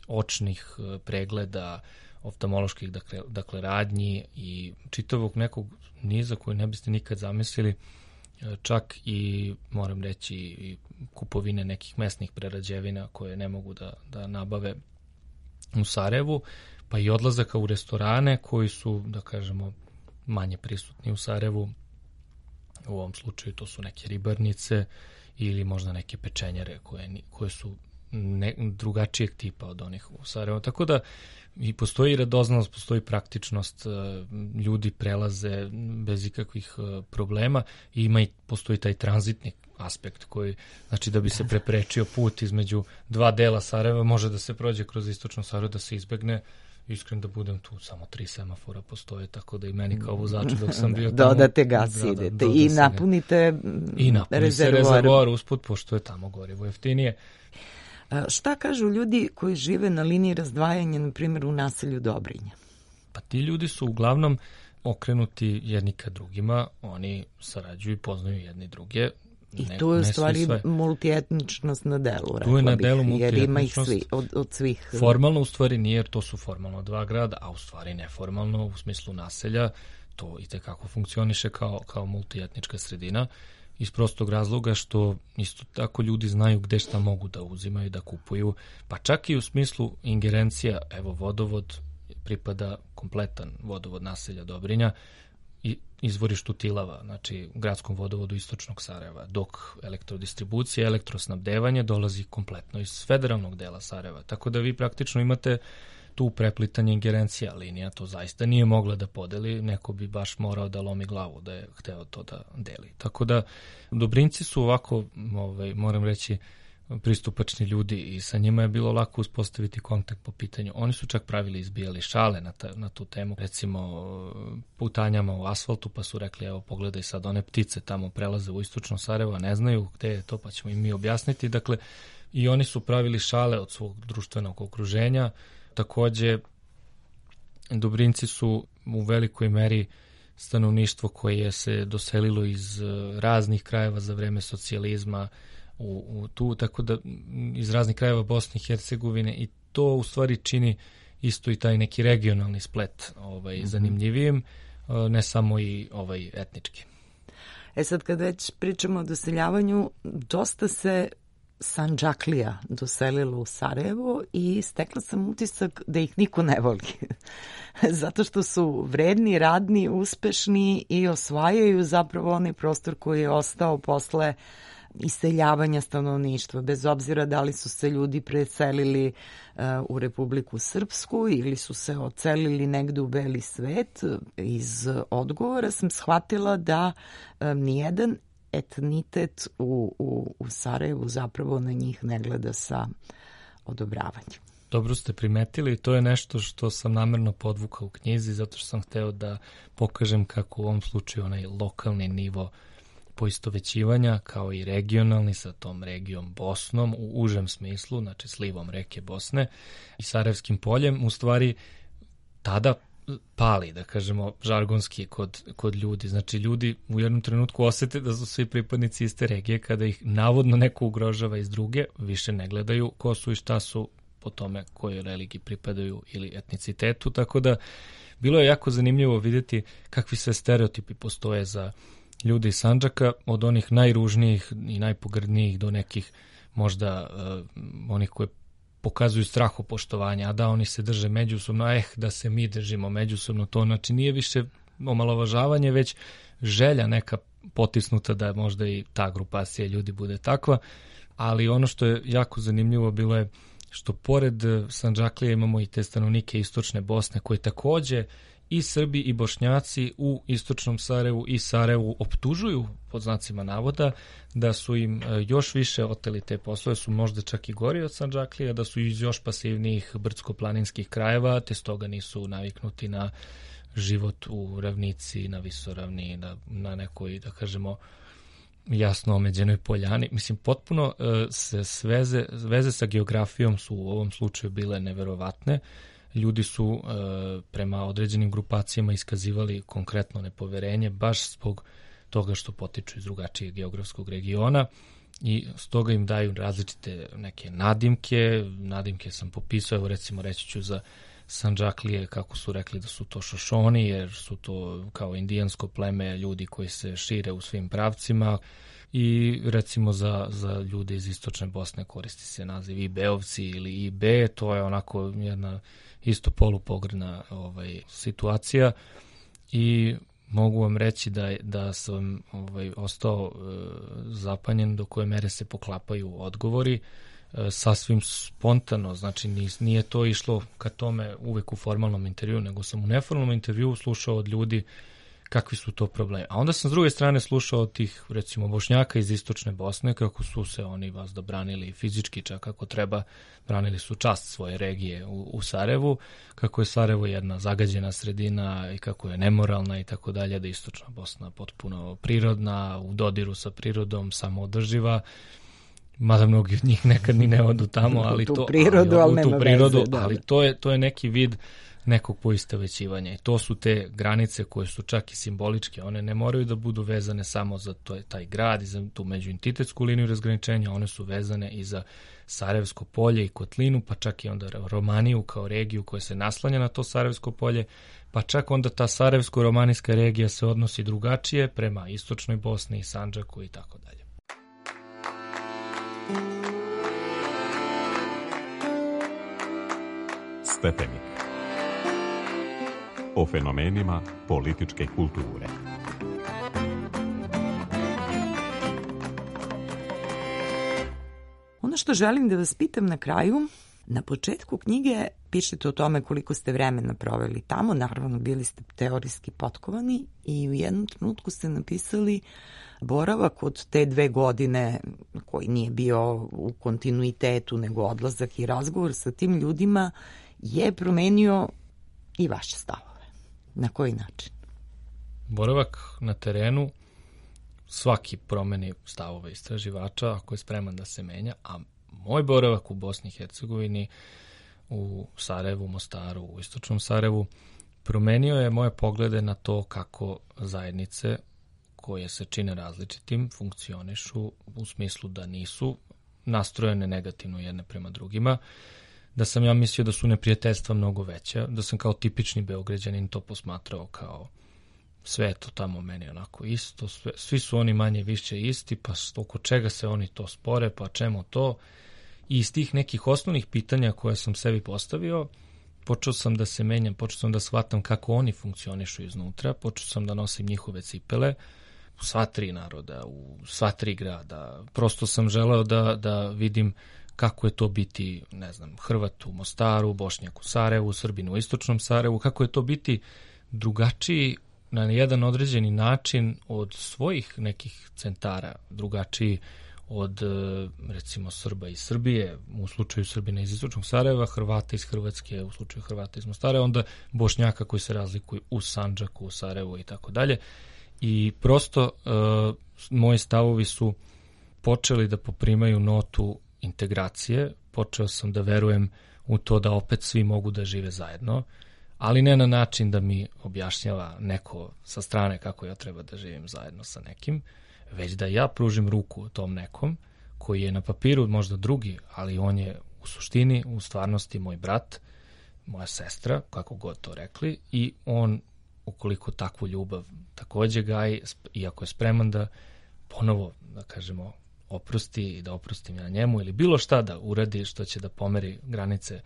očnih e, pregleda, oftalmoloških, dakle, dakle radnji i čitavog nekog niza koji ne biste nikad zamislili, e, čak i, moram reći, i kupovine nekih mesnih prerađevina koje ne mogu da, da nabave u Sarajevu, pa i odlazaka u restorane koji su, da kažemo, manje prisutni u Sarajevu. U ovom slučaju to su neke ribarnice ili možda neke pečenjare koje, koje su ne, drugačijeg tipa od onih u Sarajevu. Tako da i postoji radoznalost, postoji praktičnost, ljudi prelaze bez ikakvih problema i ima i postoji taj tranzitni aspekt koji, znači da bi se preprečio put između dva dela Sarajeva, može da se prođe kroz istočno Sarajevo, da se izbegne. Iskren da budem tu, samo tri semafora postoje, tako da i meni kao vozaču dok sam bio tamo... Dodate gas, da, idete da, i napunite I napuni se rezervoar usput, pošto je tamo gorivo jeftinije. A šta kažu ljudi koji žive na liniji razdvajanja, na primjer u naselju Dobrinja? Pa ti ljudi su uglavnom okrenuti jedni ka drugima, oni sarađuju i poznaju jedni druge. I ne, tu je u stvari multietničnost na delu, tu je na delu bih, jer ima ih svi, od, od svih. Formalno u stvari nije, jer to su formalno dva grada, a u stvari neformalno u smislu naselja, to i tekako funkcioniše kao, kao multietnička sredina. iz prostog razloga što isto tako ljudi znaju gde šta mogu da uzimaju, da kupuju, pa čak i u smislu ingerencija, evo vodovod pripada kompletan vodovod naselja Dobrinja i izvorištu Tilava, znači gradskom vodovodu istočnog Sarajeva, dok elektrodistribucija, elektrosnabdevanje dolazi kompletno iz federalnog dela Sarajeva, tako da vi praktično imate tu preplitanje ingerencija linija, to zaista nije mogla da podeli, neko bi baš morao da lomi glavu da je hteo to da deli. Tako da Dobrinjci su ovako, ovaj, moram reći, pristupačni ljudi i sa njima je bilo lako uspostaviti kontakt po pitanju. Oni su čak pravili, izbijali šale na, ta, na tu temu, recimo putanjama u asfaltu, pa su rekli, evo pogledaj sad, one ptice tamo prelaze u istočno Sarajevo, ne znaju gde je to, pa ćemo im mi objasniti. Dakle, i oni su pravili šale od svog društvenog okruženja. Takođe, Dobrinjci su u velikoj meri stanovništvo koje se doselilo iz raznih krajeva za vreme socijalizma, U, u tu, tako da iz raznih krajeva Bosne i Hercegovine, i to u stvari čini isto i taj neki regionalni splet ovaj, mm-hmm. zanimljivijim, ne samo i ovaj etnički. E sad, kad već pričamo o doseljavanju, dosta se Sandžaklija doselilo u Sarajevo i stekla sam utisak da ih niko ne voli. Zato što su vredni, radni, uspešni i osvajaju zapravo onaj prostor koji je ostao posle iseljavanja stanovništva, bez obzira da li su se ljudi preselili uh, u Republiku Srpsku ili su se odselili negde u beli svet. Iz odgovora sam shvatila da um, nijedan etnitet u, u, u Sarajevu zapravo na njih ne gleda sa odobravanjem. Dobro ste primetili, to je nešto što sam namerno podvukao u knjizi, zato što sam hteo da pokažem kako u ovom slučaju onaj lokalni nivo poistovećivanja, kao i regionalni sa tom regijom Bosnom u užem smislu, znači slivom reke Bosne i Sarajevskim poljem, u stvari tada pali, da kažemo, žargonski kod, kod ljudi. Znači, ljudi u jednom trenutku osete da su svi pripadnici iste regije, kada ih navodno neko ugrožava iz druge, više ne gledaju ko su i šta su po tome kojoj religiji pripadaju ili etnicitetu, tako da bilo je jako zanimljivo vidjeti kakvi sve stereotipi postoje za ljudi iz Sandžaka, od onih najružnijih i najpogrdnijih do nekih možda uh, onih koje pokazuju strahopoštovanje, a da oni se drže međusobno, eh, da se mi držimo međusobno, to znači nije više omalovažavanje, već želja neka potisnuta da možda i ta grupacija ljudi bude takva, ali ono što je jako zanimljivo bilo je što pored Sandžaklije imamo i te stanovnike istočne Bosne koji takođe i Srbi i Bošnjaci u istočnom Sarajevu i Sarajevu optužuju, pod znacima navoda, da su im još više oteli te poslove, su možda čak i gori od Sandžaklija, da su iz još pasivnijih brdsko-planinskih krajeva, te stoga nisu naviknuti na život u ravnici, na visoravni, na, na nekoj, da kažemo, jasno omeđenoj poljani. Mislim, potpuno se sveze, veze sa geografijom su u ovom slučaju bile neverovatne. Ljudi su e, prema određenim grupacijama iskazivali konkretno nepoverenje baš zbog toga što potiču iz drugačijeg geografskog regiona i stoga im daju različite neke nadimke. Nadimke sam popisao, evo recimo reći ću za Sandžaklije kako su rekli da su to šošoni, jer su to kao indijansko pleme, ljudi koji se šire u svim pravcima, i recimo za, za ljude iz istočne Bosne koristi se naziv Ibeovci ili Ibe, to je onako jedna isto polupogrdna ovaj, situacija i mogu vam reći da, da sam ovaj, ostao e, zapanjen do koje mere se poklapaju odgovori, e, sasvim spontano, znači nije to išlo ka tome uvek u formalnom intervju, nego sam u neformalnom intervju slušao od ljudi kakvi su to problemi. A onda sam s druge strane slušao od tih, recimo, Bošnjaka iz istočne Bosne, kako su se oni vas da branili fizički, čak kako treba, branili su čast svoje regije u, u Sarajevu, kako je Sarajevo jedna zagađena sredina i kako je nemoralna i tako dalje, da je istočna Bosna potpuno prirodna, u dodiru sa prirodom, samoodrživa, mada mnogi od njih nekad ni ne odu tamo, ali tu to, prirodu, ali, ali, ali tu prirodu, veze, da, ali da. to je, to je neki vid nekog poistovećivanja i to su te granice koje su čak i simboličke, one ne moraju da budu vezane samo za to, taj grad i za tu međuentitetsku liniju razgraničenja, one su vezane i za Sarajevsko polje i Kotlinu, pa čak i onda Romaniju kao regiju koja se naslanja na to Sarajevsko polje, pa čak onda ta Sarajevsko-romanijska regija se odnosi drugačije prema istočnoj Bosni i Sandžaku i tako dalje. Stepenik. O fenomenima političke kulture. Ono što želim da vas pitam na kraju, na početku knjige pišete o tome koliko ste vremena proveli tamo, naravno bili ste teorijski potkovani i u jednom trenutku ste napisali boravak od te dve godine koji nije bio u kontinuitetu nego odlazak i razgovor sa tim ljudima je promenio i vaše stavove. Na koji način? Boravak na terenu svaki promeni stavove istraživača ako je spreman da se menja, a moj boravak u Bosni i Hercegovini, u Sarajevu, Mostaru, u istočnom Sarajevu, promenio je moje poglede na to kako zajednice koje se čine različitim funkcionišu u smislu da nisu nastrojene negativno jedne prema drugima, da sam ja mislio da su neprijateljstva mnogo veća, da sam kao tipični Beograđanin to posmatrao kao sve je to tamo meni onako isto, sve, svi su oni manje više isti, pa oko čega se oni to spore, pa čemu to? I iz tih nekih osnovnih pitanja koje sam sebi postavio, počeo sam da se menjam, počeo sam da shvatam kako oni funkcionišu iznutra, počeo sam da nosim njihove cipele, u sva tri naroda, u sva tri grada. Prosto sam želeo da, da vidim kako je to biti, ne znam, Hrvat u Mostaru, Bošnjak u Sarajevu, Srbin u istočnom Sarajevu, kako je to biti drugačiji na jedan određeni način od svojih nekih centara, drugačiji od, recimo, Srba iz Srbije, u slučaju Srbina iz istočnog Sarajeva, Hrvata iz Hrvatske, u slučaju Hrvata iz Mostara, onda Bošnjaka koji se razlikuju u Sandžaku, u Sarajevu i tako dalje. I prosto uh, moji stavovi su počeli da poprimaju notu integracije, počeo sam da verujem u to da opet svi mogu da žive zajedno, ali ne na način da mi objašnjava neko sa strane kako ja treba da živim zajedno sa nekim, već da ja pružim ruku tom nekom koji je na papiru možda drugi, ali on je u suštini, u stvarnosti moj brat, moja sestra, kako god to rekli, i on, ukoliko takvu ljubav takođe gaji, iako je spreman da ponovo, da kažemo, oprosti i da oprostim ja njemu ili bilo šta da uradi što će da pomeri granice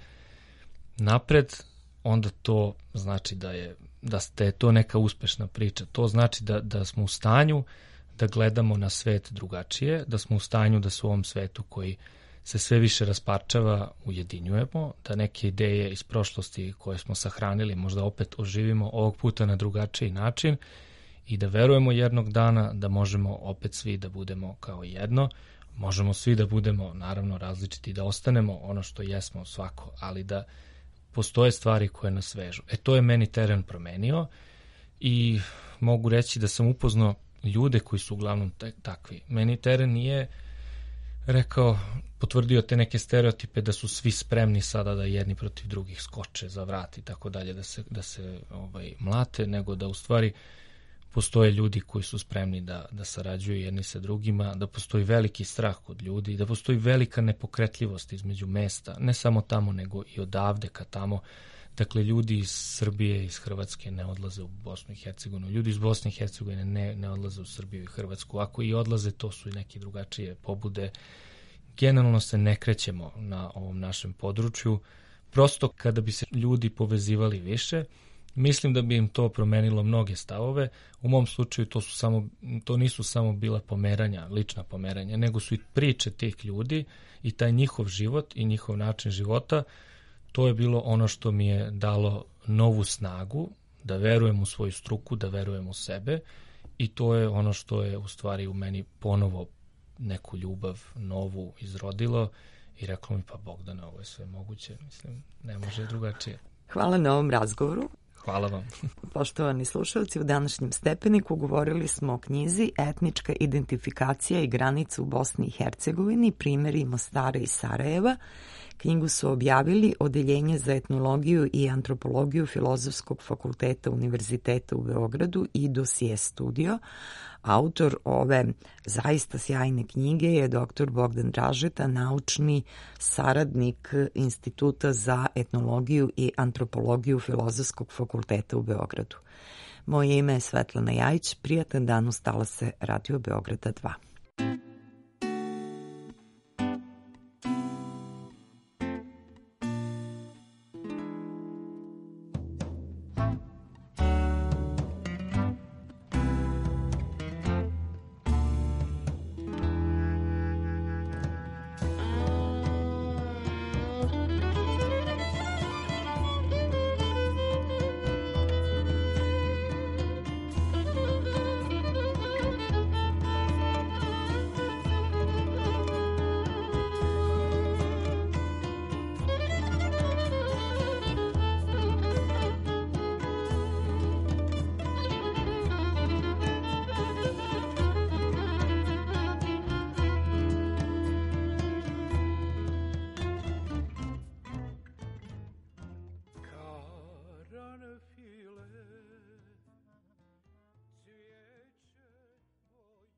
napred, onda to znači da je, da je to neka uspešna priča. To znači da, da smo u stanju da gledamo na svet drugačije, da smo u stanju da se u ovom svetu koji se sve više rasparčava ujedinjujemo, da neke ideje iz prošlosti koje smo sahranili možda opet oživimo ovog puta na drugačiji način i da verujemo jednog dana da možemo opet svi da budemo kao jedno, možemo svi da budemo naravno različiti, da ostanemo ono što jesmo svako, ali da postoje stvari koje nas vežu. E to je meni teren promenio i mogu reći da sam upoznao ljude koji su uglavnom takvi. Meni teren nije rekao, potvrdio te neke stereotipe da su svi spremni sada da jedni protiv drugih skoče za vrat i tako dalje, da se, da se ovaj, mlate, nego da u stvari postoje ljudi koji su spremni da, da sarađuju jedni sa drugima, da postoji veliki strah kod ljudi, da postoji velika nepokretljivost između mesta, ne samo tamo, nego i odavde ka tamo. Dakle, ljudi iz Srbije, iz Hrvatske ne odlaze u Bosnu i Hercegovinu, ljudi iz Bosne i Hercegovine ne, ne odlaze u Srbiju i Hrvatsku. Ako i odlaze, to su i neke drugačije pobude. Generalno se ne krećemo na ovom našem području. Prosto kada bi se ljudi povezivali više, mislim da bi im to promenilo mnoge stavove. U mom slučaju to, su samo, to nisu samo bila pomeranja, lična pomeranja, nego su i priče tih ljudi i taj njihov život i njihov način života. To je bilo ono što mi je dalo novu snagu, da verujem u svoju struku, da verujem u sebe, i to je ono što je u stvari u meni ponovo neku ljubav novu izrodilo i reklo mi, pa Bogdane, ovo je sve moguće, mislim, ne može drugačije. Hvala na ovom razgovoru. Hvala vam. Poštovani slušalci, u današnjem Stepeniku govorili smo o knjizi Etnička identifikacija i granica u Bosni i Hercegovini, primjeri Mostara i Sarajeva. Knjigu su objavili Odeljenje za etnologiju i antropologiju Filozofskog fakulteta Univerziteta u Beogradu i Dosije studio. Autor ove zaista sjajne knjige je doktor Bogdan Dražeta, naučni saradnik Instituta za etnologiju i antropologiju Filozofskog fakulteta u Beogradu. Moje ime je Svetlana Jajić, prijatan dan uz talase Radio Beograda dva.